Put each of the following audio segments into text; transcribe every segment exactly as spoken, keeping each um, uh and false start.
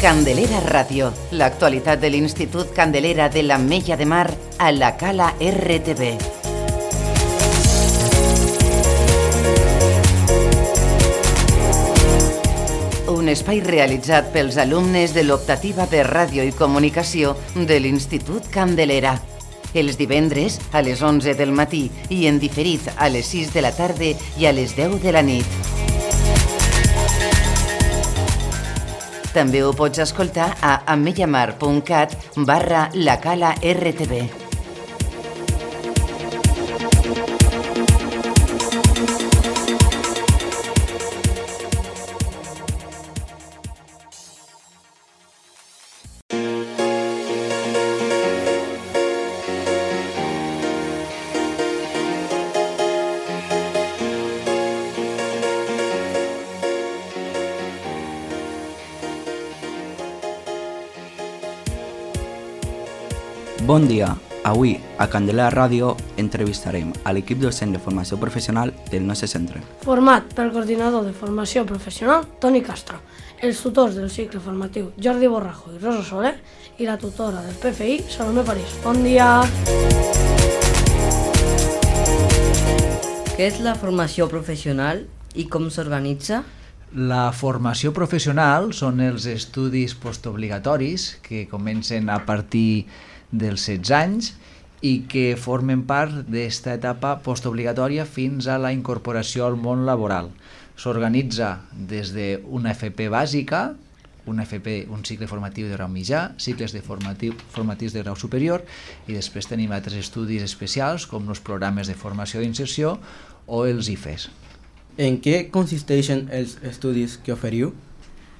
Candelera Ràdio, l'actualitat de l'Institut Candelera de l'Ametlla de Mar a la Cala R T V. Un espai realitzat pels alumnes de l'optativa de Ràdio i Comunicació de l'Institut Candelera. Els divendres a les onze del matí i en diferit a les sis de la tarda i a les deu de la nit. També ho pots escoltar a ametllamar punt cat barra la cala R T V. Bon dia. Avui, a Candelera Ràdio, entrevistarem a l'equip docent de formació professional del nostre centre. Format pel coordinador de formació professional, Toni Castro, els tutors del cicle formatiu, Jordi Borrajo i Rosa Soler, i la tutora del P F I, Salomé París. Bon dia! Què és la formació professional i com s'organitza? La formació professional són els estudis postobligatoris que comencen a partir dels setze anys i que formen part d'esta etapa postobligatòria fins a la incorporació al món laboral. S'organitza des d'una F P bàsica, una F P, un cicle formatiu de grau mitjà, cicles de formatiu, formatius de grau superior, i després tenim altres estudis especials com els programes de formació d'inserció o els I F E S. En què consisteixen els estudis que oferiu?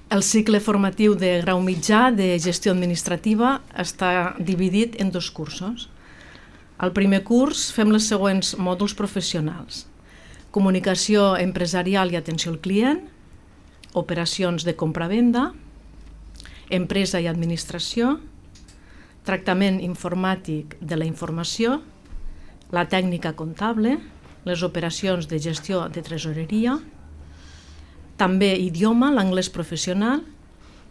El cicle formatiu de grau mitjà de gestió administrativa està dividit en dos cursos. Al primer curs fem les següents mòduls professionals: comunicació empresarial i atenció al client, operacions de compra-venda, empresa i administració, tractament informàtic de la informació, la tècnica comptable, les operacions de gestió de tresoreria, també idioma, l'anglès professional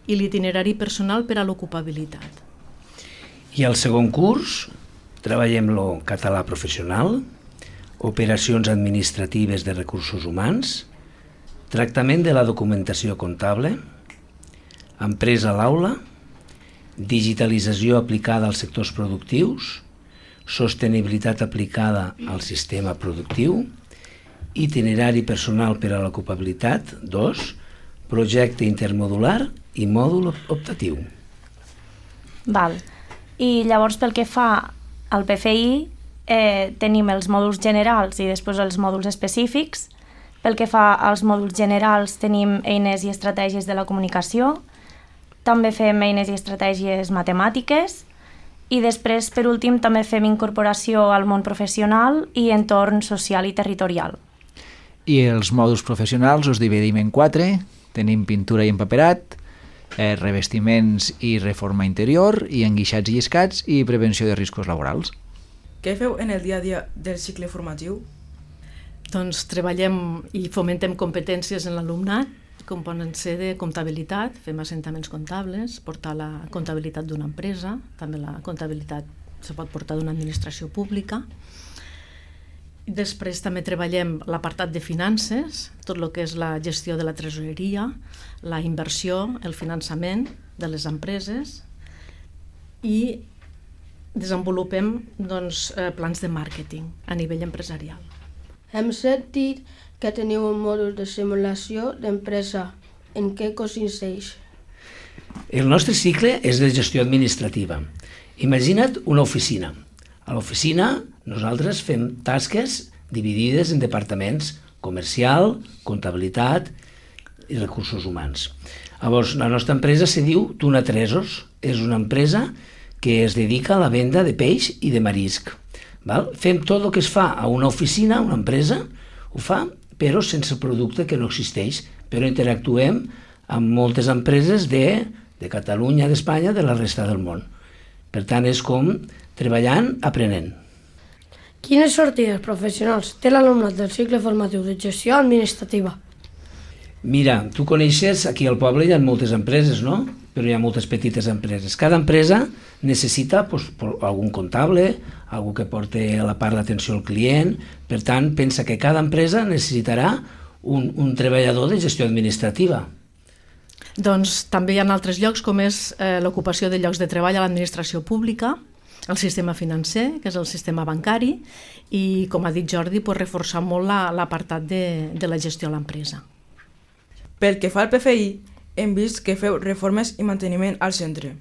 i l'itinerari personal per a l'ocupabilitat. I al segon curs treballem el català professional, operacions administratives de recursos humans, tractament de la documentació comptable, empresa a l'aula, digitalització aplicada als sectors productius, sostenibilitat aplicada al sistema productiu, itinerari personal per a l'ocupabilitat, dos, projecte intermodular i mòdul optatiu. Val. I llavors pel que fa al P F I eh, tenim els mòduls generals i després els mòduls específics. Pel que fa als mòduls generals tenim eines i estratègies de la comunicació, també fem eines i estratègies matemàtiques i després, per últim, també fem incorporació al món professional i entorn social i territorial. I els mòduls professionals els dividim en quatre. Tenim pintura i empaperat, eh, revestiments i reforma interior, i enguixats i lliscats i prevenció de riscos laborals. Què feu en el dia a dia del cicle formatiu? Doncs treballem i fomentem competències en l'alumnat, com poden ser de comptabilitat, fem assentaments comptables, portar la comptabilitat d'una empresa, també la comptabilitat se pot portar d'una administració pública. Després també treballem l'apartat de finances, tot el que és la gestió de la tresoreria, la inversió, el finançament de les empreses, i desenvolupem doncs, plans de màrqueting a nivell empresarial. Hem sentit que teniu un mòdul de simulació d'empresa. En què consisteix? El nostre cicle és de gestió administrativa. Imagina't una oficina. A l'oficina nosaltres fem tasques dividides en departaments: comercial, comptabilitat i recursos humans. Llavors, la nostra empresa se diu Tuna Tresos. És una empresa que es dedica a la venda de peix i de marisc. Val? Fem tot el que es fa a una oficina, una empresa, ho fa, però sense producte que no existeix. Però interactuem amb moltes empreses de, de Catalunya, d'Espanya, de la resta del món. Per tant, és com treballant, aprenent. Quines sortides professionals té l'alumnat del cicle formatiu de gestió administrativa? Mira, tu coneixes, aquí al poble hi ha moltes empreses, no? però hi ha moltes petites empreses. Cada empresa necessita pues, algun comptable, algú que porti a la part l'atenció al client, per tant, pensa que cada empresa necessitarà un, un treballador de gestió administrativa. Doncs també hi ha altres llocs, com és eh, l'ocupació de llocs de treball a l'administració pública, el sistema financer, que és el sistema bancari, i, com ha dit Jordi, pues, reforçar molt l'apartat de, de la gestió a l'empresa. Pel que fa al P F I, hem vist que feu reformes i manteniment al centre.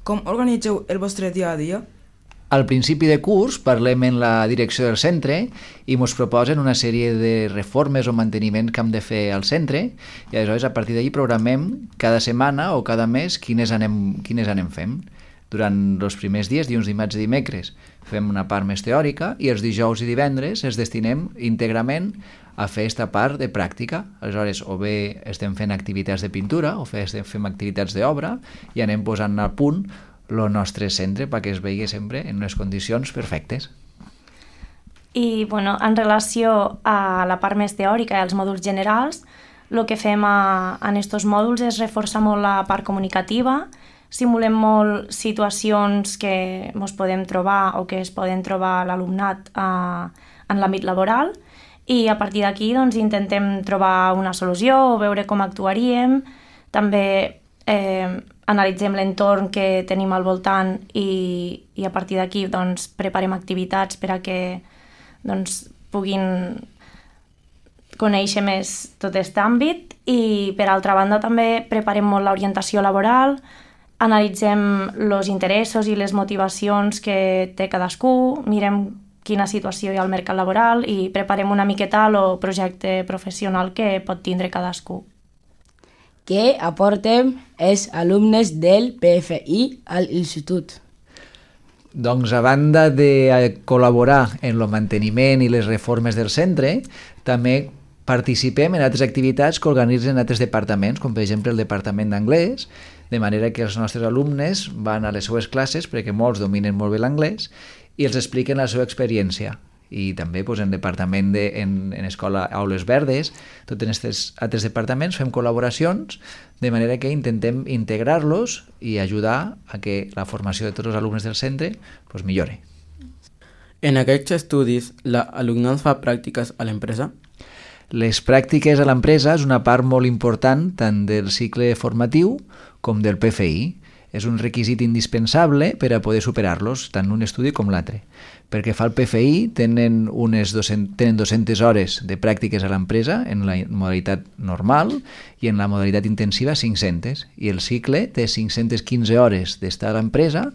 Com organitzeu el vostre dia a dia? Al principi de curs parlem en la direcció del centre i ens proposen una sèrie de reformes o manteniments que hem de fer al centre i aleshores a partir d'allí programem cada setmana o cada mes quines anem, quines anem fent. Durant els primers dies, dilluns, dimarts i dimecres, fem una part més teòrica i els dijous i divendres els destinem íntegrament a fer aquesta part de pràctica. Aleshores, o bé estem fent activitats de pintura o estem fent activitats d'obra i anem posant a punt el nostre centre perquè es vegi sempre en unes condicions perfectes. I bueno, en relació a la part més teòrica i als mòduls generals, el que fem a, en aquests mòduls és reforçar molt la part comunicativa, simulem molt situacions que ens podem trobar o que es poden trobar l'alumnat a, en l'àmbit laboral i a partir d'aquí doncs, intentem trobar una solució o veure com actuaríem. També eh, analitzem l'entorn que tenim al voltant i, i a partir d'aquí doncs, preparem activitats per a que doncs, puguin conèixer més tot aquest àmbit i per altra banda també preparem molt l'orientació laboral, analitzem els interessos i les motivacions que té cadascú, mirem quina situació hi ha al mercat laboral i preparem una miqueta el projecte professional que pot tindre cadascú. Què aportem els alumnes del P F I a l'institut? Doncs a banda de col·laborar en el manteniment i les reformes del centre, també participem en altres activitats que organitzen altres departaments, com per exemple el departament d'anglès, de manera que els nostres alumnes van a les seues classes, perquè molts dominen molt bé l'anglès, i els expliquen la seva experiència. I també doncs, en departament de, en, en escola Aules Verdes, tots en aquests altres departaments fem col·laboracions, de manera que intentem integrar-los i ajudar a que la formació de tots els alumnes del centre doncs, millore. En aquests estudis, l'alumnat fa pràctiques a l'empresa? Les pràctiques a l'empresa és una part molt important tant del cicle formatiu com del P F I. És un requisit indispensable per a poder superar-los, tant un estudi com l'altre. Perquè fa el P F I tenen, unes dues-centes, tenen dues-centes hores de pràctiques a l'empresa en la modalitat normal i en la modalitat intensiva cinc-centes. I el cicle té cinc-centes quinze hores d'estar a l'empresa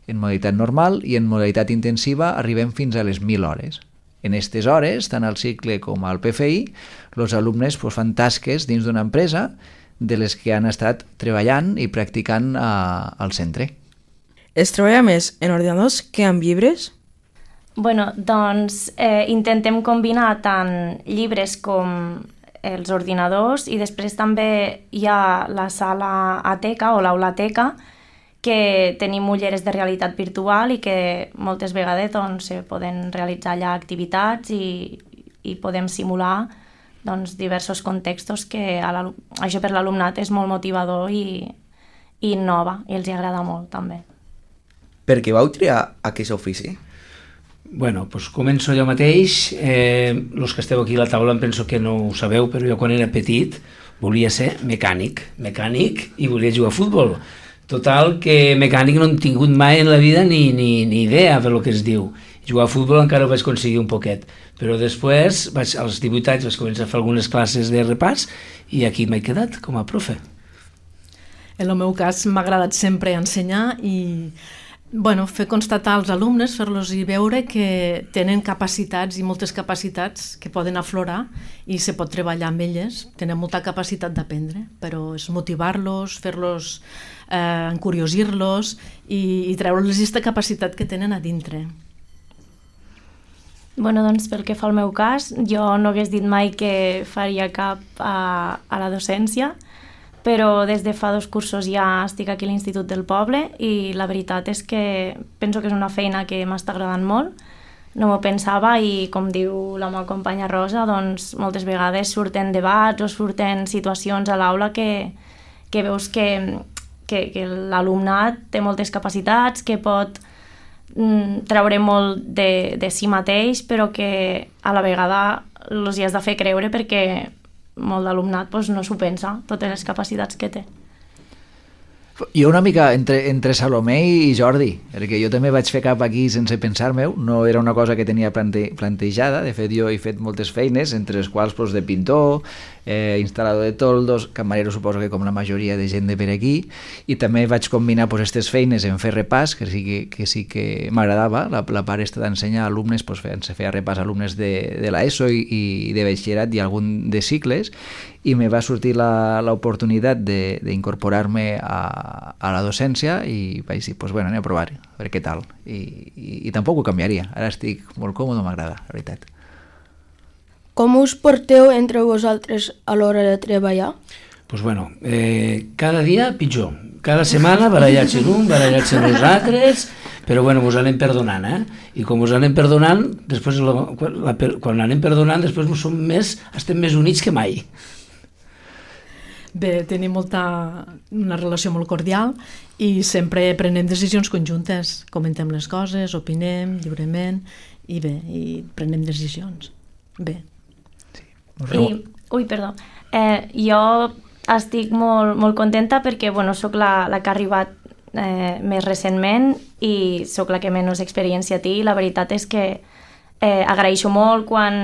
en modalitat normal i en modalitat intensiva arribem fins a les mil hores. En aquestes hores, tant al cicle com al P F I, els alumnes pues, fan tasques dins d'una empresa de les que han estat treballant i practicant a, al centre. Es treballa més en ordinadors que en llibres? Bueno, doncs eh, intentem combinar tant llibres com els ordinadors i després també hi ha la sala Ateca o l'aulateca que tenim ulleres de realitat virtual i que moltes vegades doncs, se poden realitzar allà activitats i, i podem simular doncs, diversos contextos que a això per l'alumnat és molt motivador i, i innova i els agrada molt també. Per què vau triar aquest ofici? Bueno, doncs començo jo mateix. Eh, els que esteu aquí a la taula em penso que no ho sabeu, però jo quan era petit volia ser mecànic, mecànic i volia jugar a futbol. Total, que mecànic no hem tingut mai en la vida ni, ni, ni idea per lo que es diu. Jugar a futbol encara ho vaig aconseguir un poquet, però després, vaig, als divuit anys, vaig començar a fer algunes classes de repàs i aquí m'he quedat com a profe. En el meu cas m'ha agradat sempre ensenyar i bueno, fer constatar als alumnes, fer-los i veure que tenen capacitats i moltes capacitats que poden aflorar i se pot treballar amb elles, tenen molta capacitat d'aprendre, però és motivar-los, fer-los, eh, encuriosir-los i, i treure-los aquesta capacitat que tenen a dintre. Bueno, doncs pel que fa al meu cas, jo no hagués dit mai que faria cap a, a la docència, però des de fa dos cursos ja estic aquí a l'Institut del Poble i la veritat és que penso que és una feina que m'està agradant molt. No m'ho pensava i, com diu la meva companya Rosa, doncs moltes vegades surten debats o surten situacions a l'aula que, que veus que que, que l'alumnat té moltes capacitats, que pot mm, treure molt de, de si mateix, però que a la vegada els hi has de fer creure perquè molt d'alumnat doncs, no s'ho pensa, totes les capacitats que té. Jo una mica entre, entre Salomé i Jordi, perquè jo també vaig fer cap aquí sense pensar-me-ho, no era una cosa que tenia plante, plantejada, de fet jo he fet moltes feines, entre les quals pues, de pintor, eh, instal·lador de toldos, camarero suposo que com la majoria de gent de per aquí, i també vaig combinar pues, aquestes feines en fer repàs, que sí que, que, sí que m'agradava, la, la part està d'ensenyar alumnes, pues, se feia repàs a alumnes de, de l'ESO i, i de batxillerat i algun de cicles, i me va sortir l'oportunitat d'incorporar-me a, a la docència i vaig dir, pues bueno, anem a provar, a veure què tal. I, i, i tampoc ho canviaria, ara estic molt còmode, m'agrada, la veritat. Com us porteu entre vosaltres a l'hora de treballar? Pues bueno, eh, cada dia pitjor. Cada setmana barallar-se l'un, barallar-se els altres, però bueno, mos anem perdonant, eh? I com mos anem perdonant, després la, la, quan anem perdonant, després som més, estem més units que mai. Bé, tenim molta, una relació molt cordial i sempre prenem decisions conjuntes, comentem les coses, opinem lliurement i bé, i prenem decisions. Bé. Sí. I, ui, perdó. Eh, jo estic molt, molt contenta perquè bueno, soc la, la que ha arribat eh, més recentment i soc la que menys experiència té i la veritat és que eh, agraeixo molt quan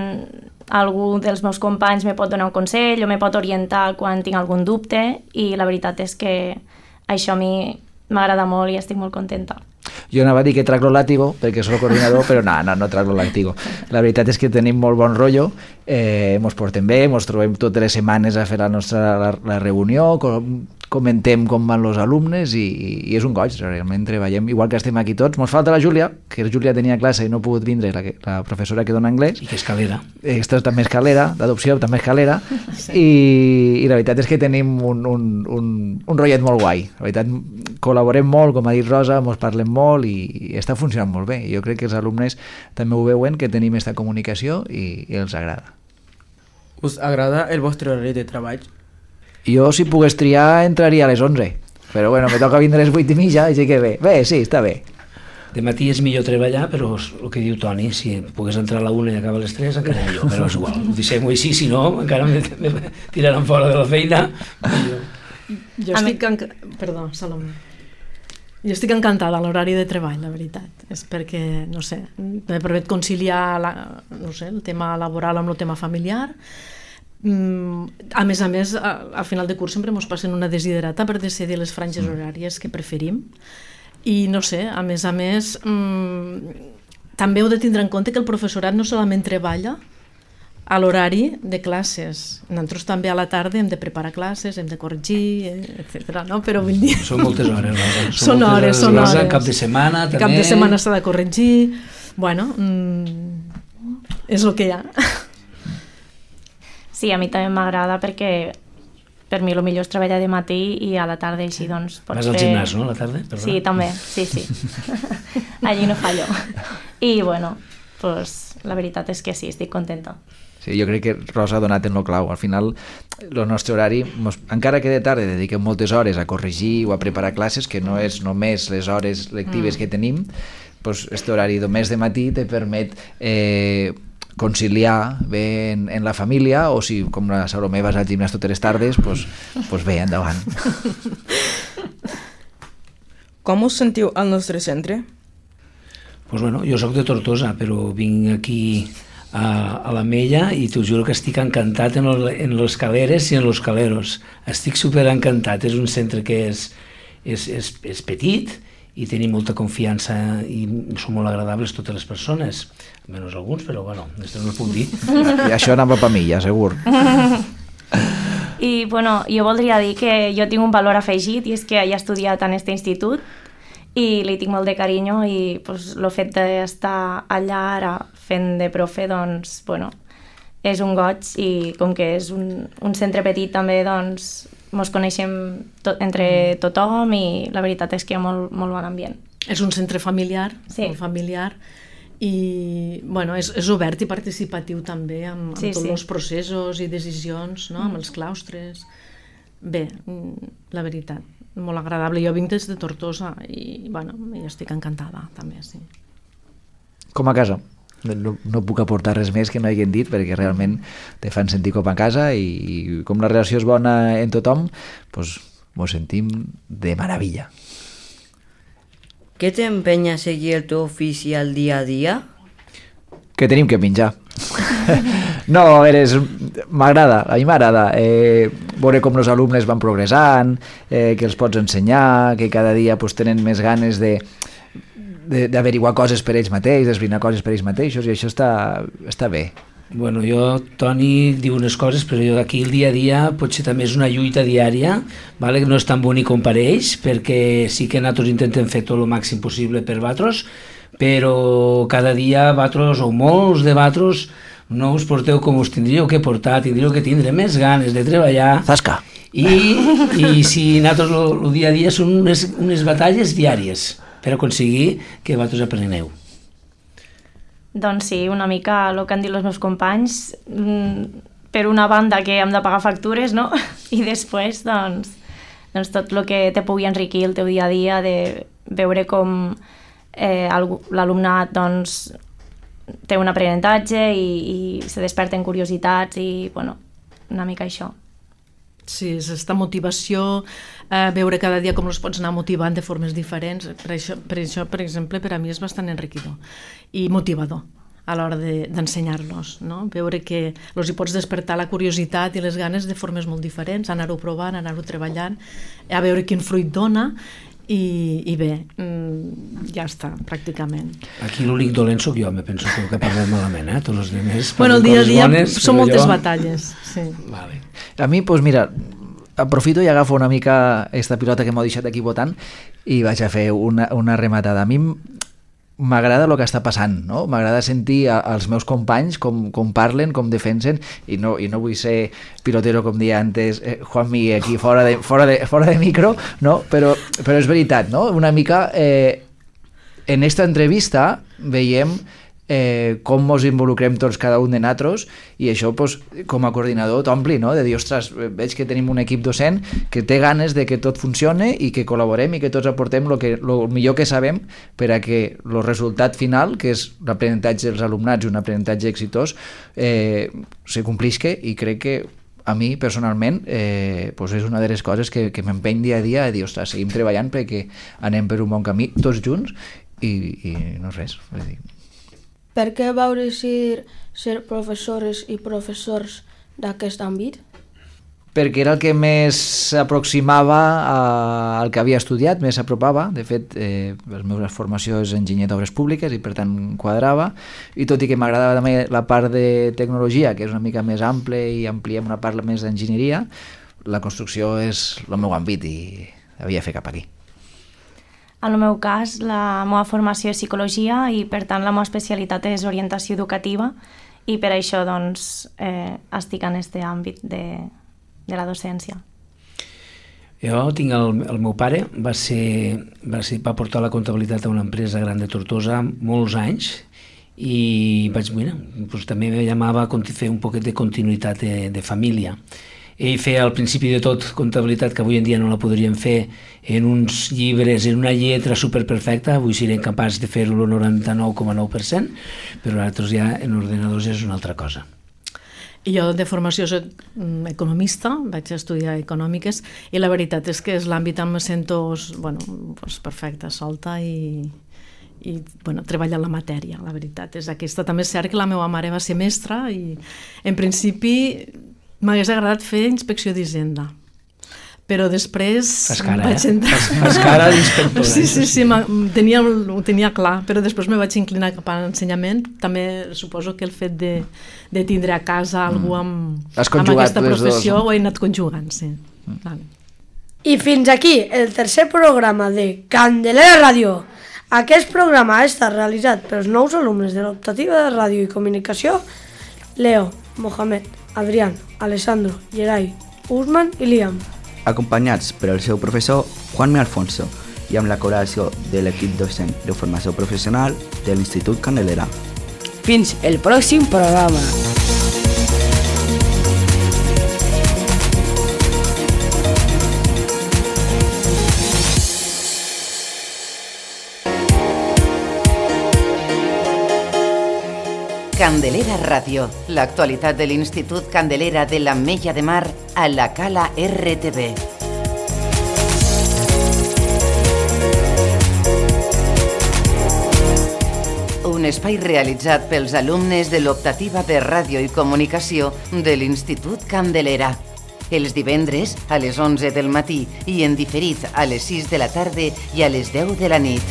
algú dels meus companys me pot donar un consell o me pot orientar quan tinc algun dubte i la veritat és que això a mi m'agrada molt i estic molt contenta. Jo anava a dir que trac lo látigo, perquè soc el coordinador, però no, no, no trac lo látigo. La veritat és que tenim molt bon rotllo, eh, mos portem bé, mos trobem totes les setmanes a fer la nostra la, la reunió, com, comentem com van els alumnes i, i és un goig, realment treballem, igual que estem aquí tots. Mos falta la Júlia, que Júlia tenia classe i no ha pogut vindre, la, la professora que dona anglès. I que és calera. Aquesta també és calera, d'adopció també és calera, sí. I, i la veritat és que tenim un, un, un, un rotllet molt guai. La veritat, col·laborem molt, com ha dit Rosa, mos parlem molt i, i està funcionant molt bé. Jo crec que els alumnes també ho veuen, que tenim aquesta comunicació i, i els agrada. Us agrada el vostre horari de treball? Jo, si pogués triar, entraria a les onze, però bueno, me toca vindre a les vuit i mitja, així que bé, bé, sí, està bé. De matí és millor treballar, però el que diu Toni, si pogués entrar a la una i acabar a les tres, encara millor, però és igual. Ho deixem-ho així, si no, encara me, me tiraran fora de la feina. Jo estic... Enc... Perdó, Salomé. Jo estic encantada a l'horari de treball, la veritat. És perquè, no sé, me permet conciliar la, no sé, el tema laboral amb el tema familiar. A més a més, al final de curs sempre ens passen una desiderata per decidir les franges horàries que preferim i no sé, a més a més també heu de tindre en compte que el professorat no solament treballa a l'horari de classes, nosaltres també a la tarda hem de preparar classes, hem de corregir, etcètera, no? Però vull dir... Són moltes hores, Rosa. Són hores, són hores. Cap de setmana també... Cap de setmana s'ha de corregir... Bueno, mmm, és el que hi ha. Sí, a mi també m'agrada perquè per mi el millor és treballar de matí i a la tarda així doncs pots fer... Vas al gimnàs, no, a la tarda? Perdona. Sí, també, sí, sí. Allí no fallo. I bueno, pues, la veritat és que sí, estic contenta. Sí, jo crec que Rosa ha donat en lo clau. Al final, el nostre horari, mos, encara que de tarda dediquem moltes hores a corregir o a preparar classes, que no és només les hores lectives mm. que tenim, doncs este horari només de matí te permet... Eh, conciliar bé en, en la família o si com la Salomé vas al gimnàs totes les tardes pues, pues bé, endavant. Com us sentiu al nostre centre? Pues bueno, jo sóc de Tortosa però vinc aquí a, a la Mella i t'ho juro que estic encantat en, el, en les caleres i en los caleros, estic super encantat, és un centre que és, és, és, és petit i tenim molta confiança i són molt agradables totes les persones, menys alguns, però bueno, això no ho puc dir. I això anava per mi, ja, segur. I bueno, jo voldria dir que jo tinc un valor afegit i és que he estudiat en aquest institut i li tinc molt de carinyo i pues, el fet d'estar allà ara fent de profe, doncs, bueno, és un goig i com que és un, un centre petit també, doncs, ens coneixem to entre tothom i la veritat és que hi ha molt, molt bon ambient. És un centre familiar, sí. molt familiar i bueno, és, és obert i participatiu també amb, amb sí, tots sí. els processos i decisions, no? Amb els claustres. Bé, la veritat, molt agradable. Jo vinc des de Tortosa i, bueno, i estic encantada, també, sí. Com a casa. No, no puc aportar res més que no hagin dit, perquè realment te fan sentir com a casa i, i com la relació és bona en tothom, doncs mos sentim de meravella. Què t'empenya a seguir el teu ofici al dia a dia? Que tenim que menjar. No, a veure, és... m'agrada, a mi m'agrada eh, veure com els alumnes van progressant, eh, que els pots ensenyar, que cada dia pues, tenen més ganes de d'averiguar coses per ells mateixos, d'esbrinar coses per ells mateixos, i això està, està bé. Bueno, jo, Toni diu unes coses, però jo d'aquí el dia a dia potser també és una lluita diària, vale? No és tan bonic com per ells, perquè sí que nosaltres intentem fer tot el màxim possible per vosaltres, però cada dia vosaltres, o molts de vosaltres, no us porteu com us tindríeu que portar, tindríeu que tindre més ganes de treballar. Zasca! I, i si nosaltres el dia a dia són unes, unes batalles diàries per aconseguir que vosaltres apreneu. Doncs sí, una mica el que han dit els meus companys, per una banda que hem de pagar factures, no? I després, doncs, doncs tot el que te pugui enriquir el teu dia a dia, de veure com eh, l'alumnat doncs, té un aprenentatge i, i se desperten curiositats i, bueno, una mica això. Sí, és aquesta motivació, eh, veure cada dia com els pots anar motivant de formes diferents. Per això, per això, per exemple, per a mi és bastant enriquidor i motivador a l'hora d'ensenyar-los, no? Veure que els hi pots despertar la curiositat i les ganes de formes molt diferents, anar-ho provant, anar-ho treballant, a veure quin fruit dona i, i bé, ja està, pràcticament. Aquí l'únic dolent sóc jo, me penso que parlem malament, eh? Tots els demés bueno, el dia a dia bones, són moltes jo... batalles, sí. Vale. A mi, doncs mira, aprofito i agafo una mica aquesta pilota que m'ho deixat aquí votant i vaig a fer una, una rematada. A mi m'agrada el que està passant, no? M'agrada sentir a, als meus companys com, com parlen, com defensen, i no, i no vull ser pilotero, com deia antes eh, Juanmi, aquí fora de, fora de, fora de micro, no? Però, però és veritat, no? Una mica eh, en esta entrevista veiem eh, com ens involucrem tots cada un de nosaltres, i això pues, com a coordinador t'ompli, no? De dir, ostres, veig que tenim un equip docent que té ganes de que tot funcione i que col·laborem i que tots aportem el que, lo millor que sabem per a que el resultat final, que és l'aprenentatge dels alumnats i un aprenentatge exitós, eh, se complisca, i crec que a mi personalment eh, pues és una de les coses que, que m'empeny dia a dia a dir, ostres, seguim treballant perquè anem per un bon camí tots junts i, i no és res, vull dir. Per què vau decidir ser professores i professors d'aquest àmbit? Perquè era el que més s'aproximava al que havia estudiat, més s'apropava. De fet, eh, la meva formació és enginyer d'obres públiques i per tant quadrava, i tot i que m'agradava també la part de tecnologia, que és una mica més ample i ampliem una part més d'enginyeria, la construcció és el meu àmbit i havia de fer cap aquí. En el meu cas, la meva formació és psicologia i, per tant, la meva especialitat és orientació educativa, i per això doncs, eh, estic en aquest àmbit de, de la docència. Jo tinc el, el meu pare, va, ser, va, ser, va portar la comptabilitat a una empresa gran de Tortosa molts anys, i vaig, mira, doncs també me llamava a fer un poquet de continuïtat de, de família. Ell feia al principi de tot comptabilitat que avui en dia no la podríem fer en uns llibres, en una lletra superperfecta, avui serem capaços de fer-ho el noranta-nou coma nou per cent, però nosaltres ja en ordenadors és una altra cosa. I jo de formació soc economista, vaig estudiar econòmiques, i la veritat és que és l'àmbit on me sento bueno, pues perfecta, solta i, i bueno, treballar la matèria, la veritat és aquesta. També és cert que la meva mare va ser mestra i en principi m'hagués agradat fer inspecció d'Hisenda, però després fas cara, vaig eh? entrar... Fas cara d'inspectora. Sí, sí, sí, tenia, ho tenia clar, però després me vaig inclinar cap a l'ensenyament. També suposo que el fet de, de tindre a casa algú amb, amb aquesta professió ho he anat conjugant, sí. Mm. Vale. I fins aquí el tercer programa de Candelera Ràdio. Aquest programa ha estat realitzat pels nous alumnes de l'optativa de ràdio i comunicació, Leo, Mohamed, Adrián, Alessandro, Gerai, Usman i Liam. Acompanyats per el seu professor Juanmi Alfonso i amb la col·laboració de l'equip docent de formació professional de l'Institut Candelera. Fins el pròxim programa. Candelera Ràdio, l'actualitat de l'Institut Candelera de l'Ametlla de Mar a la Cala R T V. Un espai realitzat pels alumnes de l'optativa per ràdio i comunicació de l'Institut Candelera. Els divendres a les onze del matí i en diferit a les sis de la tarda i a les deu de la nit.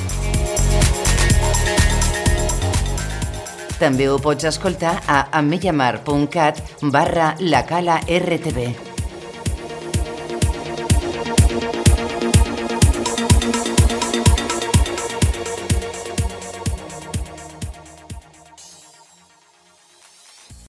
També ho pots escoltar a ametllamar punt cat barra la cala R T V.